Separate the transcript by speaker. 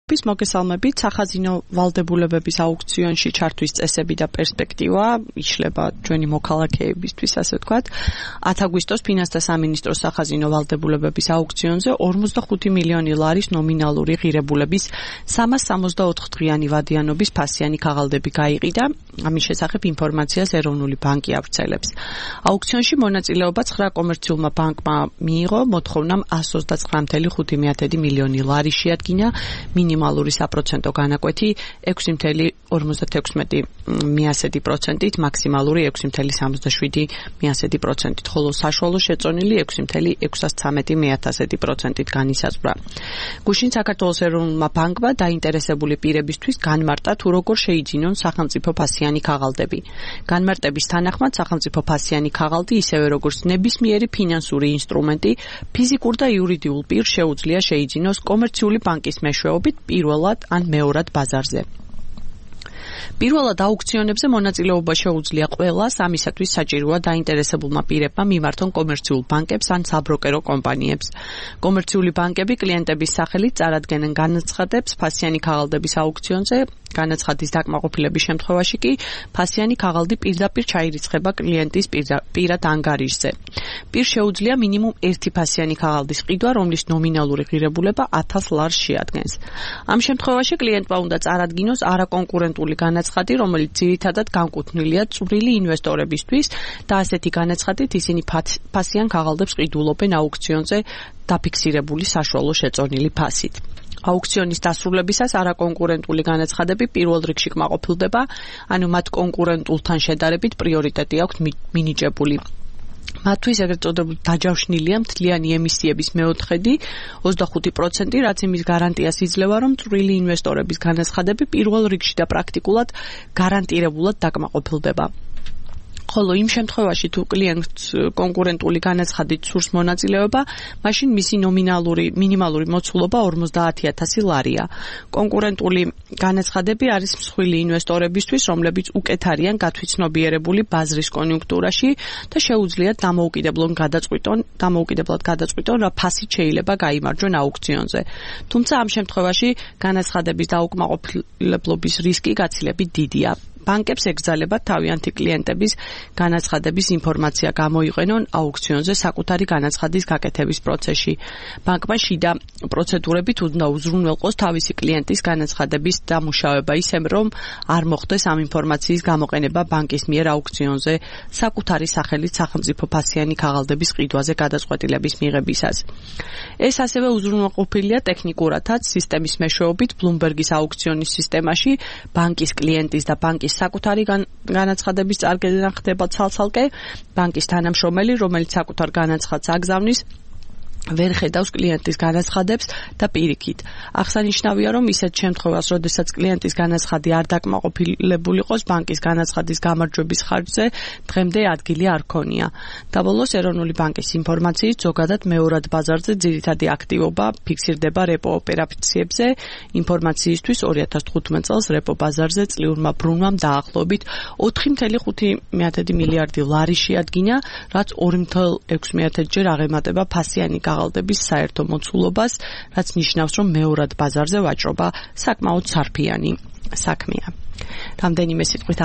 Speaker 1: მოგესალმებით, სახაზინო ვალდებულებების აუქციონში ჩართვის წესები და პერსპექტივა იშლება ჩვენი მოქალაქეებისთვის, ასე ვთქვათ. 10 აგვისტოს ფინანსთა სამინისტროს სახაზინო ვალდებულებების აუქციონზე 45 მილიონი ლარის ნომინალური ღირებულების 364 დღიანი ვადიანობის ფასიანი ქაღალდები გაიყიდა. ამის შესახებ ინფორმაციას ეროვნული ბანკი ავრცელებს. აუქციონში მონაწილეობა 9 კომერციულმა ბანკმა მიიღო, მოთხოვნამ 129.5 მილიონი ლარი შეადგინა, მინიმალური საპროცენტო განაკვეთი 6.56%, მაქსიმალური 6.77%, ხოლო საშუალო შეწონილი 6.613%-ით განისაზღვრა. გუშინ საქართველოს ეროვნულმა ბანკმა დაინტერესებული პირებისთვის განმარტა თუ როგორ შეიძინონ სახელმწიფო ფასიანი ქაღალდები. განმარტების თანახმად სახელმწიფო ფასიანი ქაღალდი ისევე როგორც ნებისმიერი ფინანსური ინსტრუმენტი ფიზიკურ და იურიდიულ პირს შეუძლია შეიძინოს კომერციული ბანკის მეშვეობით პირველად ან მეორად ბაზარზე. პირველად აუქციონებზე მონაწილეობა შეუძლია ყველას, ამისათვის საჭიროა დაინტერესებულმა პირებმა მიმართონ კომერციულ ბანკებს ან საბროკერო კომპანიებს. კომერციული ბანკები კლიენტების სახელით წარადგენენ განაცხადებს ფასიანი ქაღალდების აუქციონზე, განაცხადის დაკმაყოფილების შემთხვევაში კი ფასიანი ქაღალდი პირდაპირ ჩაირიცხება კლიენტის პირად ანგარიშზე. პირს შეუძლია მინიმუმ ერთი ფასიანი ქაღალდის ყიდვა, რომლის ნომინალური ღირებულება 1000 ლარს შეადგენს. ამ შემთხვევაში კლიენტმა უნდა წარადგინოს არაკონკურენტული განაცხადი, რომელიც ძირითადად განკუთვნილია წვრილი ინვესტორებისთვის და ასეთი განაცხადით ისინი ფასიან ქაღალდებს ყიდულობენ აუქციონზე დაფიქსირებული საშუალო შეწონილი ფასით. აუქციონის დასრულებისას არაკონკურენტული განაცხადები პირველ რიგში კმაყოფილდება, ანუ მათ კონკურენტულთან შედარებით პრიორიტეტი აქვთ მინიჭებული. მათთვის ეგრეთ წოდებული დაჯავშნილია მთლიანი ემისიების მეოთხედი 25%, რაც იმის გარანტიას იძლევა, რომ წვრილი ინვესტორების განაცხადები პირველ რიგში და პრაქტიკულად გარანტირებულად დაკმაყოფილდება. ხოლო იმ შემთხვევაში თუ კლიენტს კონკურენტული განაცხადით სურს მონაწილეობა, მაშინ მისი მინიმალური მოცულობა 50.000 ლარია. კონკურენტული განაცხადები არის მსხვილი ინვესტორებისთვის, რომლებიც უკეთ არიან გათვითცნობიერებული ბაზრის კონიუნქტურაში და შეუძლიათ დამოუკიდებლად გადაწყვიტონ, რა ფასით შეიძლება გაიმარჯვონ აუქციონზე. თუმცა ამ შემთხვევაში განაცხადების დაუკმაყოფილებლობის რისკი გაცილებით დიდია. ბანკებს ეკრძალებათ თავიანთი კლიენტების განაცხადების ინფორმაცია გამოიყენონ აუქციონზე საკუთარი განაცხადის გაკეთების პროცესში. ბანკმა შიდა პროცედურებით უნდა უზრუნველყოს თავისი კლიენტის განაცხადების დამუშავება, ისე რომ არ მოხდეს ამ ინფორმაციის გამოყენება ბანკის მიერ აუქციონზე საკუთარი სახელით სახელმწიფო ფასიანი ქაღალდების ყიდვაზე გადაწყვეტილების მიღებისას. ეს ასევე უზრუნველყოფილია ტექნიკურადაც სისტემის მეშვეობით Bloomberg-ის აუქციონის სისტემაში ბანკის კლიენტის და ბანკის საკუთარი განაცხადების წარდგენა ხდება ცალ-ცალკე, ბანკის თანამშრომელი, რომელიც საკუთარ განაცხადს აგზავნის, ვერ ხედავს კლიენტის განაცხადებს და პირიქით. აღსანიშნავია, რომ ისეთ შემთხვევას, როდესაც კლიენტის განაცხადი არ დაკმაყოფილებული იყოს ბანკის განაცხადის გამარჯვების ხარჯზე, დღემდე ადგილი არ ქონია. დაბოლოს ეროვნული ბანკის ინფორმაციით, ზოგადად მეორად ბაზარზე ძირითადი აქტივობა ფიქსირდება რეპო ოპერაციებზე. ინფორმაციისთვის 2015 წელს რეპო ბაზარზე წლიურმა ბრუნვამ დაახლოებით 4.5 მილიარდი ლარი შეადგინა, რაც 2.6 ჯერ აღემატება ფასიანი ქაღალდების საერთო მოცულობას, რაც ნიშნავს, რომ მეორად ბაზარზე ვაჭრობა საკმაოდ სარფიანი საქმეა. რამდენიმე სიტყვით